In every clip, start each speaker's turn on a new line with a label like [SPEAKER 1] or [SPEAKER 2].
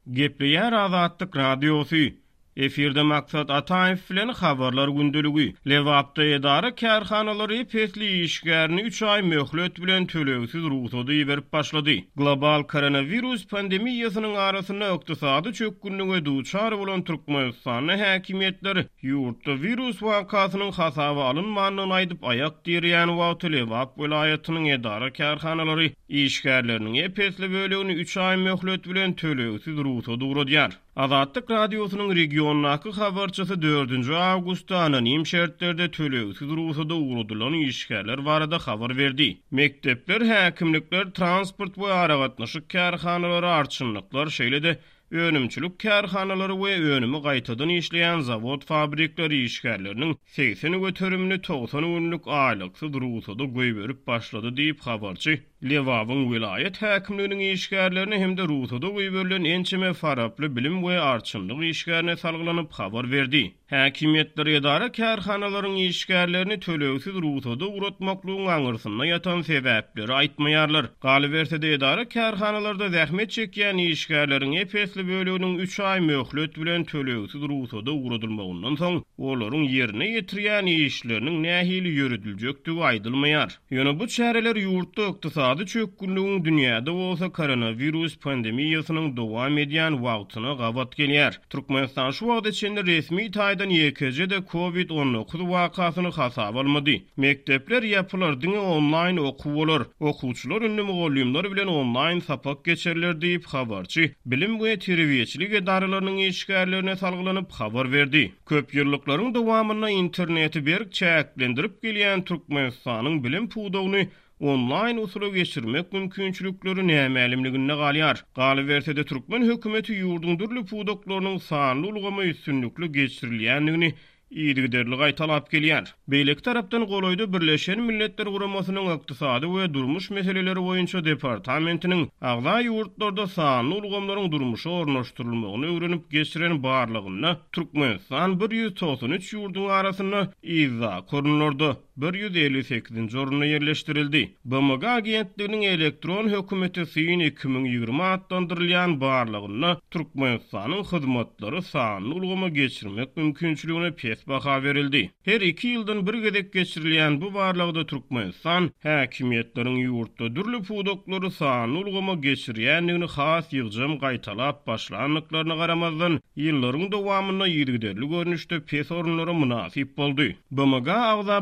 [SPEAKER 1] Gepleýär Azatlyk Radiosy, Efirde Maksat Ataýew bilen Habarlar gündeligi. Lebapda edara-kärhanalar ep-esli işgärini üç aý möhlet bilen tölegsiz rugsada iberip başlady. Global koronawirus pandemiýasynyň arasynda ykdysady çökgünlige duçar bolan Türkmenistanda häkimiýetler ýurtda wirus wakasynyň hasaba alynmandygyny aýdyp aýak direýän wagty Lebap welaýatynyň edara-kärhanalary işgärleriniň ep-esli bölegini üç aý möhlet bilen tölegsiz rugsat ugradýar. Azatlyk Radiosynyň regiondaky habarçysy dördünji awgustda anonim şertlerde tölegsiz rugsada ugradylan işgärler barada habar berdi. Mekdepler, häkimlikler, transport we aragatnaşyk kärhanalary, arçynlyklar, şeýle-de önümçilik kärhanalary we önümi gaýtadan işleýän zawod-fabrikler işgärleriniň 80 göterimini 90 günlük aýlyksyz rugsada goýberip başlady diýip, habarçy Lebabyň welaýat häkimliginiň işgärlerine hem-de rugsada goýberilen ençeme faraply bilim we arçynlyk işgärine salgylanyp habar berdi. Häkimiýetler edara-kärhanalaryň işgärlerini tölegsiz rugsada ugratmaklygyň aňyrsynda ýatan sebäpleri aýtmaýarlar. Galyberse-de, edara-kärhanalarda zähmet çekýän işgärleriň ep-esli böleginiň üç aý möhlet bilen tölegsiz rugsada ugradylmagyndan soň, olaryň ýerine ýetirýän işleriniň nähili ýörediljekdigi aýdylmaýar. Ýöne bu çäreler ýurtda ykdysady çökgünligiň, dünýäde bolsa koronawirus pandemiýasynyň dowam edýän wagtyna gabat gelýär. Türkmenistan şu wagta çenli resmi taýdan ýekeje-de Covid 19 wakasyny hasaba almady. Mekdepler ýapylar, diňe onlaýn okuw bolar. Okuwçylar indi mugallymlar bilen onlaýn sapak geçerler diýip, habarçy bilim we terbiýeçilik edaralarynyň işgärlerine salgylanyp habar berdi. Köp ýyllyklaryň dowamynda interneti berk çäklendirip gelýän Türkmenistanyň bilim pudagyny onlaýn usula geçirmek mümkinçilikleri nämälimliginde galýar. Galyberse-de, türkmen hökümeti ýurduň dürli pudaklarynyň sanly ulgama üstünlikli geçirilýändigini yzygiderli gaýtalap gelýär. Beýleki tarapdan, golaýda Birleşen Milletler Guramasynyň Ykdysady we durmuş meseleleri boýunça departamentiniň agza ýurtlarda sanly ulgamlaryň durmuşa ornaşdyrylmagyny öwrenip geçiren barlagynda Türkmenistan 193 ýurduň arasynda yzdaky orunlarda, 158-nji orunda ýerleşdirildi. BMG agentliginiň Elektron hökümete syn 2020 atlandyrylýan barlagynda Türkmenistanyň hyzmatlary sanly ulgama geçirmek mümkinçiligine pes baha berildi. Her iki ýyldan bir gezek geçirilýän bu barlagda Türkmenistan häkimiýetleriň ýurtda dürli pudaklary sanly ulgama geçirýändigini has ýygjam gaýtalap başlandyklaryna garamazdan, ýyllaryň dowamynda yzygiderli görnüşde pes orunlara mynasyp boldy. BMG-a agza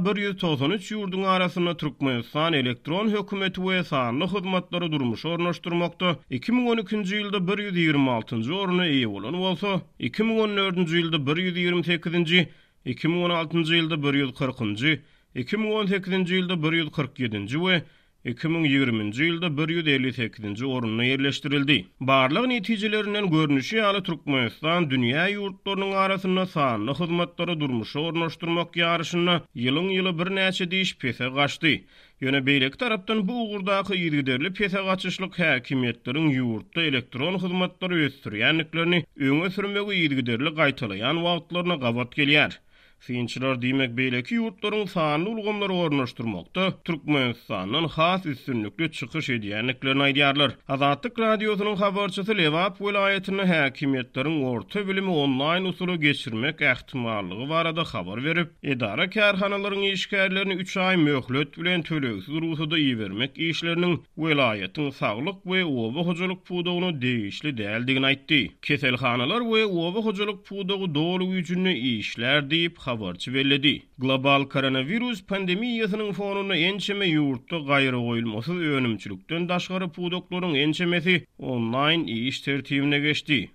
[SPEAKER 1] 193 ýurduň arasynda Türkmenistan elektron hökümeti we sanly hyzmatlary durmuşa ornaşdyrmakda 2012-nji ýylda 126-njy oruna eýe bolan bolsa, 2014-nji ýylda 128-nji, 2016-njy ýylda 140-njy, 2018-nji ýylda 147-nji we 2020-nji ýylda 158-nji orunda ýerleşdirildi. Barlag netijelerinden görnüşi ýaly, Türkmenistan dünýä ýurtlarynyň arasynda sanly hyzmatlary durmuşa ornaşdyrmak ýaryşynda ýylyň-ýyla birnäçe diş pese gaçdy. Ýöne beýleki tarapdan bu ugurdaky yzygiderli pese gaçyşlyk häkimiýetleriň ýurtda elektron hyzmatlary ösdürýändiklerini öňe sürmegi yzygiderli gaýtalaýan wagtlaryna gabat gelýär. Synçylar diýmek beýleki ýurtlaryň sanly ulgamlary ornaşdyrmakda Türkmenistandan has üstünlikli çykyş edýändiklerini aýdýarlar. Azatlyk Radiosynyň habarçysy Lebap welaýatynda häkimiýetleriň orta bilimi onlaýn usula geçirmek ähtimallygy barada habar berip, Edara-kärhanalaryň işgärlerini üç aý möhlet bilen tölegsiz rugsada ibermek işleriniň welaýatyň saglyk we oba hojalyk pudagyna degişli däldigini aýtdy. Keselhanalar we oba hojalyk pudagy doly güýjünde işlär diýip, habarçy belledi. Global koronawirus pandemiýasynyň fonunda ençeme ýurtda gaýragoýulmasyz önümçilikden daşgary pudaklaryň ençemesi onlaýn iş tertibine geçdi.